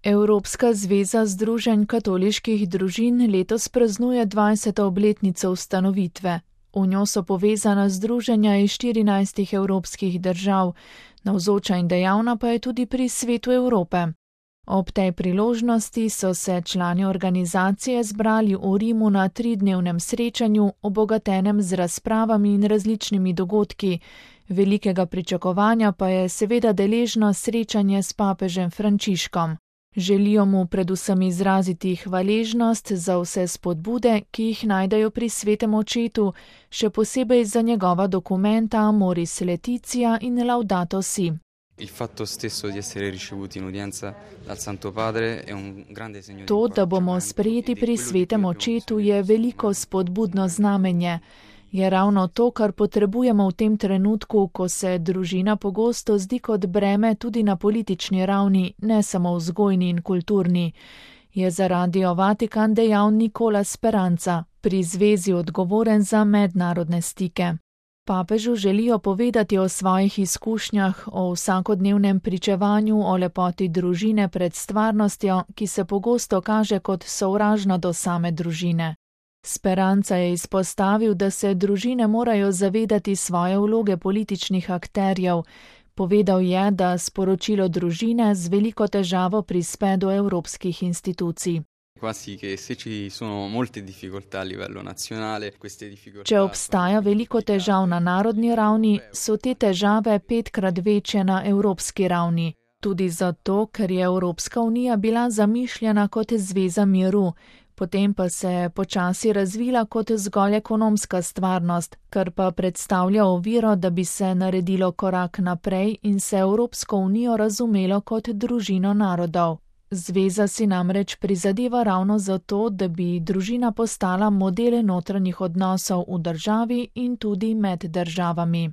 Evropska zveza združenj katoliških družin letos praznuje 20. obletnico ustanovitve. V njo so povezana združenja iz 14 evropskih držav, navzoča in dejavna pa je tudi pri Svetu Evrope. Ob tej priložnosti so se člani organizacije zbrali v Rimu na 3-dnevnem srečanju, obogatenem z razpravami in različnimi dogodki. Velikega pričakovanja pa je seveda deležno srečanje s papežem Frančiškom. Želijo mu predvsem izraziti hvaležnost za vse spodbude, ki jih najdejo pri Svetem očetu, še posebej za njegova dokumenta Amoris Laetitia in Laudato Si. To, da bomo sprejeti pri Svetem očetu, je veliko spodbudno znamenje. Je ravno to, kar potrebujemo v tem trenutku, ko se družina pogosto zdi kot breme tudi na politični ravni, ne samo vzgojni in kulturni. Je za Radio Vatikan dejal Nicola Speranza, pri zvezi odgovoren za mednarodne stike. Papežu želijo povedati o svojih izkušnjah, o vsakodnevnem pričevanju, o lepoti družine pred stvarnostjo, ki se pogosto kaže kot sovražna do same družine. Speranza je izpostavil, da se družine morajo zavedati svoje vloge političnih akterjev. Povedal je, da sporočilo družine z veliko težavo prispe do evropskih institucij. Če obstaja veliko težav na narodni ravni, so te težave 5-krat večje na evropski ravni. Tudi zato, ker je Evropska unija bila zamišljena kot zveza miru, potem pa se je počasi razvila kot zgolj ekonomska stvarnost, kar pa predstavlja oviro, da bi se naredilo korak naprej in se Evropsko unijo razumelo kot družino narodov. Zveza si namreč prizadeva ravno zato, da bi družina postala model notranjih odnosov v državi in tudi med državami.